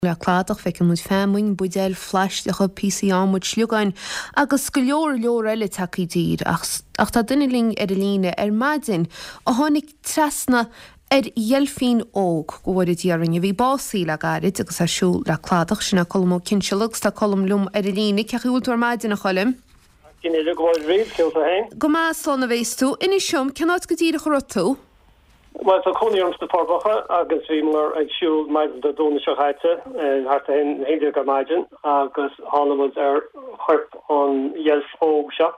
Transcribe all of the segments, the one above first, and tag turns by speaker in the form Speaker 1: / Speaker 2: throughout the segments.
Speaker 1: Le cladach, feiceann muid feamainn, buidéil phlaisteacha, píosaí adhmaid, sliogáin agus go leor leor eile tagtha i dtír. Ach ach tá duine linn ar an líne ar maidin a tháinig trasna ar dheilfín óg, go bhfóire Dia orainn, a bhí básaithe le gairid agus é ag siúl le cladach. Sin é Colm Ó Cinnseala agus tá Colm liom ar an líne. Cén chaoi a bhfuil tú ar maidin, a Choilm?
Speaker 2: Go maith, cén chaoi a bhfuil tú féin?
Speaker 1: Go maith, slán a bhéas tú. Inis dom, cén áit go díreach a raibh tú?
Speaker 2: Bhuel, tá cónaí orm sna Forbacha agus bhíomar ag siúl maidin Dé Domhnaigh seo chaite, thart ar a 11 ar maidin, agus tháinig muid ar chorp an dheilf óg seo.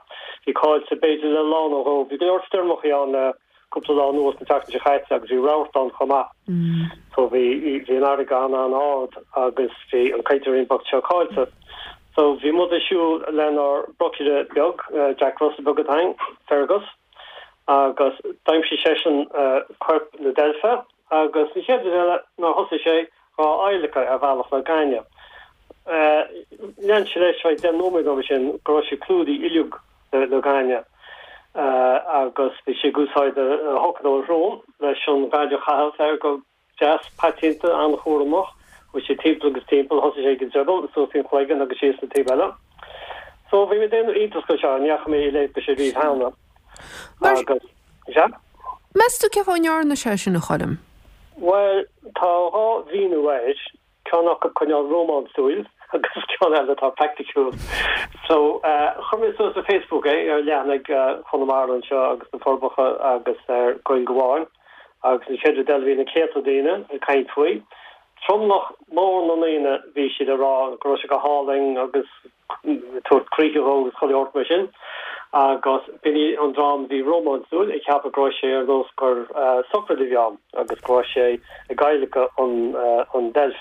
Speaker 2: Bhí caillte b'fhéidir le lá nó dhó. Bhí go leor stoirmeachaí ann le cúpla lá anuas, an tseachtain seo chaite, agus bhí rabharta ann chomh maith. So bhí bhí an fharraige an-an-ard agus bhí an créatúirín bocht seo caillte. So bhí muid ag siúl lenár brocaire beag, Jack Russell beag atá againn, Fergus. agus d'aimsigh seisean corp na deilfe agus an chéad rud eile nár thosaigh sé dhá adhlacadh ar bhealach le gaineamh. Lean sé leis feadh 10 nóiméad nó mar sin go raibh sé clúdaithe uilig le gaineamh agus bhí sé ag úsáid a shoc nó a shrón leis an ghaineamh a chaitheamh air go Deas, paiteanta, an-chúramach. Chuaigh sé timpeall agus timpeall, thosaigh sé ag an drioball, suas an chloigeann agus síos an taobh eile. So, bhí mé ag déanamh iontas de seo, ní fhaca mé a leithéid de seo riamh cheana.
Speaker 1: Agus, sea? Meas tú cén fáth a ndearna sé sin, a Choilm?
Speaker 2: Bhuel, tá dhá mhíniú air. Ceann acu cineál rómánsúil agus ceann eile atá praiticiúil. So, chuir mé suas ar Facebook é, ar leathanaigh Chonamara anseo agus na Forbacha agus ar Gaeilge Amháin agus an chéad rud eile bhí na céadta daoine ag caint faoi. Tromlach mór na ndaoine bhí siad ag rá go raibh sé go hálainn agus tabhairt críche dhó agus chuile shórt mar sin agus b'in í an dream a bhí rómánsúil ag ceapadh go raibh sé ar nós gur sochraid a bhí ann agus go raibh sé ag adhlacadh an an deilf.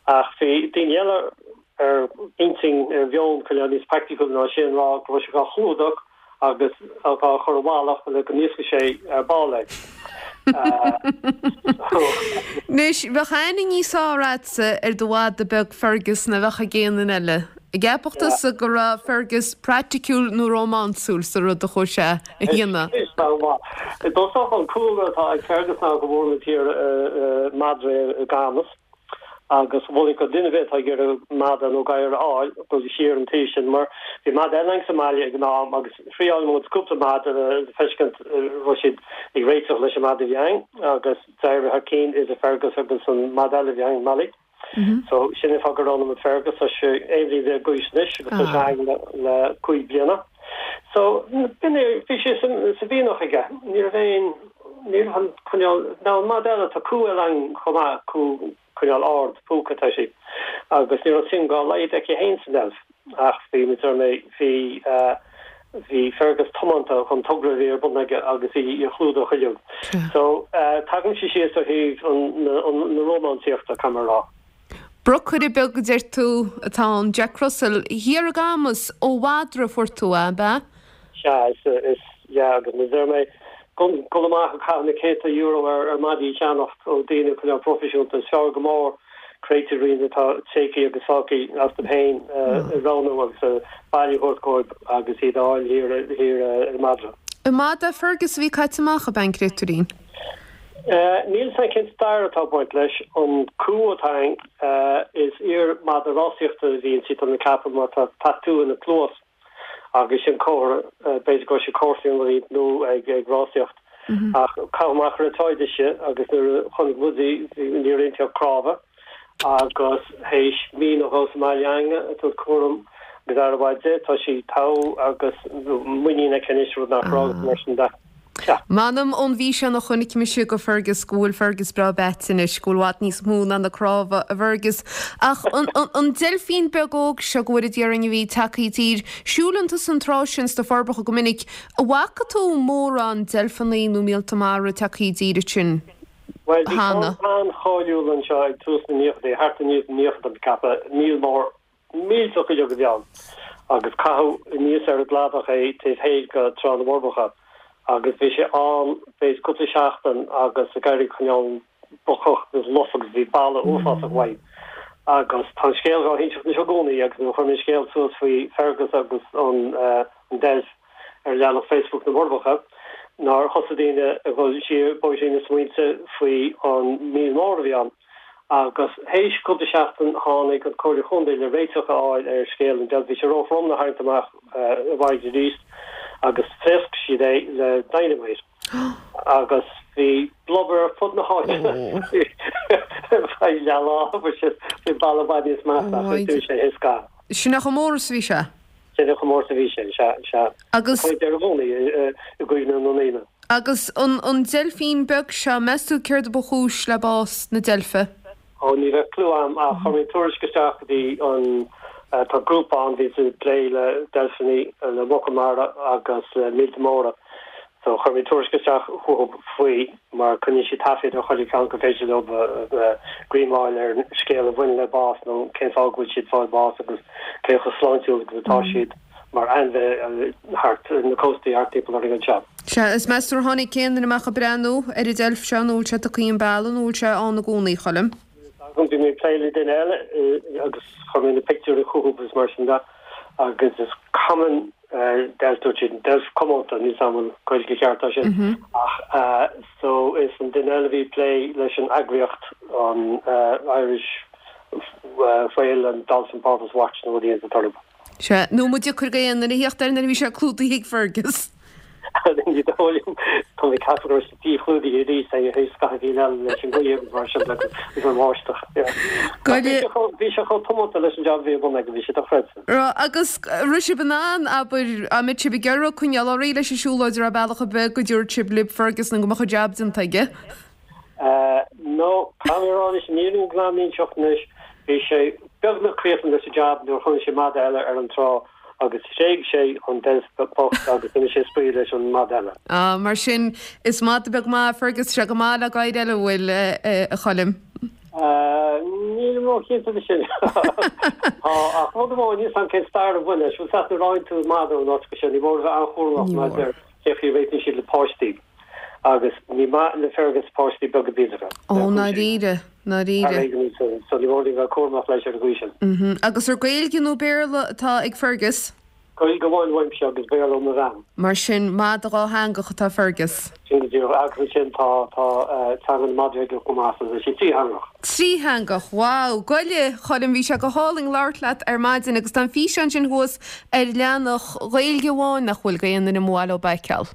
Speaker 2: Ach bhí daoine eile ar intinn ar mheon cineál níos praiticiúla ná sin ag rá go raibh sé dhá chlúdach agus dhá chur i bhfalach le go n-íosfaí sé ar ball é.
Speaker 1: Anois, bheadh aithne níos fearr agatsa ar do mhadadh beag Fergus ná bheadh ag aon duine eile. An gceapfadh tusa go raibh Fergus praiticiúil nó rómánsúil sa rud a chuaigh sé a dhéanamh?
Speaker 2: Is dócha an cúlra atá ag Fergus ná go bhfuair muid thiar madra i gCamus. Agus mholfainn do dhuine ar bith atá ag iarraidh madadh nó gadhar a fháil, dul siar an taobh sin, mar bhí madadh eile againn sa mbaile ag an am agus thriáil muid cúpla madadh le feiscint an raibh siad ag réiteach leis an madadh a bhí againn agus d'éirigh thar cinn idir Fergus agus an madadh eile a bhí againn, Molly. So sin an fáth gur roghnaigh muid Fergus. Tá sé 11 bhliain d'aois anois agus tá sé againn le 5 bliana. So b'in é, bhí sé sa mhianach aige. Ní raibh aon. Ní raibh an cineál, nó an madadh eile, tá cú eile againn chomh maith, cú cineál ard, púca atá sí, agus ní raibh suim dá laghad aici féin sa ndeilf, ach bhí, mar a deir mé, bhí, bhí Fergus tiomanta don togra a bhí ar bun aige agus í a chlúdach uilig. So, tagaimse síos ar thaobh an, na rómánsaíochta, caithfidh mé a rá.
Speaker 1: Brocaire beag a deir tú atá ann, Jack Russell. Thiar i gCamus, ó mhadra a fuair tú é, ab ea?
Speaker 2: Sea, is, is, yeah, agus mar a deir mé, dul amach ag caitheamh na céadta euro ar, ar madaí a cheannacht ó daoine cineál proifisiúnta, is fearr go mór créatúirín atá tréigthe agus fágtha astu féin a roghnú agus baile a thabhairt dhóibh agus iad a fháil thiar, thiar ar madra.
Speaker 1: An madadh Fergus a bhí caite amach, ab ea an créatúirín?
Speaker 2: Níl 'fhios a'm cén stair atá ag baint leis. An cú atá againn, is iar-mhadadh rásaíochta a bhí inti, tá mé ag ceapadh, mar tá tatú ina cluas agus sin comhartha, b'fhéidir go raibh sé ag comharsaíocht nó ag rásaíocht. Ach caitheadh amach ar an tsráid ise agus nuair a chonaic muid í, ní raibh inti ach cnámha agus théis mí nó dhó sa mbaile againn ag tabhairt cúram agus aire mhaith di, tá sí togha agus muinín aici anois, rud nach raibh agus mar sin de.
Speaker 1: Sea. M'anam ón bhfíseán a chonaic mise go Fergus go bhfuil Fergus breá beaite anois, go bhfuil i bhfad níos mó ná na cnámha i bhFergus. Ach an deilfín beag óg seo, go bhfóire Dia orainn, a bhí tagtha i dtír, siúlann tusa an trá sin sna Forbacha go minic, an bhfaca tú mórán deilfeanna nó míolta mara tagtha i dtír ansin
Speaker 2: Bhuel, bhí cheana? ceann an-cháiliúil anseo ag tús na naochadaí, thart i 1990 tá mé ag ceapadh, míol mór Millteach uilig a bhí ann agus caitheadh aníos ar an gcladach é taobh thoir de Trá na bhForbacha agus bhí sé ann b'fhéidir cúpla seachtain agus ag éirí cineál brocach agus lofa agus bhí boladh uafásach uaidh. Agus tá an scéal dhá hinseacht anois i gcónaí agus nuair a chuir mé an scéal suas faoi Fergus agus an deilf ar leathanach Facebook na bhForbacha nár thosaigh daoine ag dhul siar bóithrín na smaointe faoi an míol mór a bhí ann. Agus théis cúpla seachtain tháinig an Comhairle Chontae le réiteach a fháil ar scéal an deilf. Bhí sé ró-throm le tharraingt amach i bhfarraige arís agus phléasc siad é le dynamite agus bhí blubber ar fud na háite ar feadh leath lá mar sin bhí balla i bhfad níos measa ach bhí sé thíos ga.
Speaker 1: Sin é chomh mór is a bhí sé.
Speaker 2: Sin é chomh mór is a bhí sé, sea, sea.
Speaker 1: Agus.
Speaker 2: Tá sé i gcónaí i gcuimhne na ndaoine.
Speaker 1: Agus an an deilfín beag seo, meas tú céard a ba chúis le bás na deilfe?
Speaker 2: Ó, ní bheadh clue a'm ach chuir mé tuairisc isteach go dtí an, tá grúpa ann bhíonns ag plé le deilfeanna, le muca mara agus le míolta móra. So chuir mé tuairisc isteach chucu faoi mar coinníonn siad taifead ar chuile cheann gur féidir leo greim a fháil ar scéal a bhaineann le bás nó cén fáth go bhfuil siad ag fáil bás agus cé chomh sláintiúil agus atá siad. mar ainmhithe thart ar na cóstaí thart timpeall orainn
Speaker 1: anseo. Sea, is meas tú ar tháinig aon duine amach ag breathnú ar an deilf seo nó bhfuil sé tugtha an bealach nó bhfuil sé ann i gcónaí, a Choilm?
Speaker 2: Bhí mé ag plé le duine eile agus chuir mé na pictiúirí chucu agus mar sin de agus is common deilf dúirt siad, deilf comónta, níl 's a'm an Gaeilge cheart é sin ach so is an duine eile a bhí ag plé leis an eagraíocht an Irish Whale and Dolphin Porpoise Watch nó rud éigin sa
Speaker 1: toradh. Sea, nó an deacair d'aon duine a theacht air nuair a bhí sé clúdaithe ag Fergus.
Speaker 2: Ní dóigh liom. Tá mé ag ceapadh go raibh sé díchlúdaithe arís théis scaitheamh eile leis an ghaoth agus mar sin de agus an bháisteach. Bhí sé chomh tiomanta leis an jab a bhí ar bun aige, bhí sé dochreidte.
Speaker 1: Raibh, agus raibh sibh in ann, abair, an mbeadh sibh ag iarraidh coinneáil ar aghaidh leis an siúlóid, an raibh bealach ar bith go dtabharfadh sibh libh Fergus nó go mbeadh an jab déanta aige?
Speaker 2: No, caithfidh mé a rá anois, an fhírinne ghlan a inseacht anois, bhí sé beagnach críochnaithe leis an jab nuair a chonaic sé mada eile ar an trá agus thréig sé an deilf bocht agus d'imigh sé ag spraoi leis an mada eile.
Speaker 1: Ah, mar sin, is mada beag maith Fergus, sé go maith le gadhair eile, an bhfuil, a Choilm?
Speaker 2: Nílim ró-chinnte de sin. Tá, ach rud amháin, níl 's a'm cén stair a bhain leis, bhfuil 's a'd nuair a fhaigheann tú mada ón áit go seo, ní mór a bheith an-chúramach maidir cé chaoi a réitíonn siad le páistí. Agus ní maith le Fergus páistí beaga bídeacha.
Speaker 1: Ó, ndáiríre, ndáiríre.
Speaker 2: So ní mór dúinn bheith cúramach leis ar an gcaoi sin.
Speaker 1: Mhm. Agus ar Gaeilge nó Béarla atá ag Fergus?
Speaker 2: Gaeilge amháin uaimse agus Béarla ó mo bhean.
Speaker 1: Mar sin, mada dhátheangach atá Fergus.
Speaker 2: Sin go díreach. Agus ansin tá, tá teanga na madraí aige chomh maith, so tá sé trítheangach.
Speaker 1: Trítheangach, wow! Goile, Choilm, bhí sé go hálainn labhairt leat ar maidin agus tá an físeán sin thuas ar leathanach Ghaeilge amháin nach bhfuil, d'aon duine mba mhaith leo é a fheiceáil.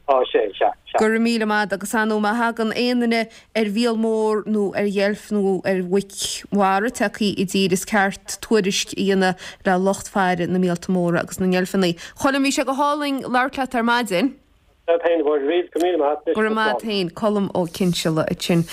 Speaker 2: Tá sé, sea, sea.
Speaker 1: Go raibh míle maith agat agus ar ndóigh má thagann aon duine ar mhíol mór nó ar dheilf nó ar mhuic mhara tagtha i dtír is ceart tuairisc a dhéanamh le lucht faire na míolta móra agus na ndeilfeanna. Choilm, bhí sé go hálainn labhairt leat ar maidin.
Speaker 2: Leat féin, a Mháire, go raibh míle maith agat.
Speaker 1: Go raibh maith agat féin, Colm Ó Cinnseala ansin.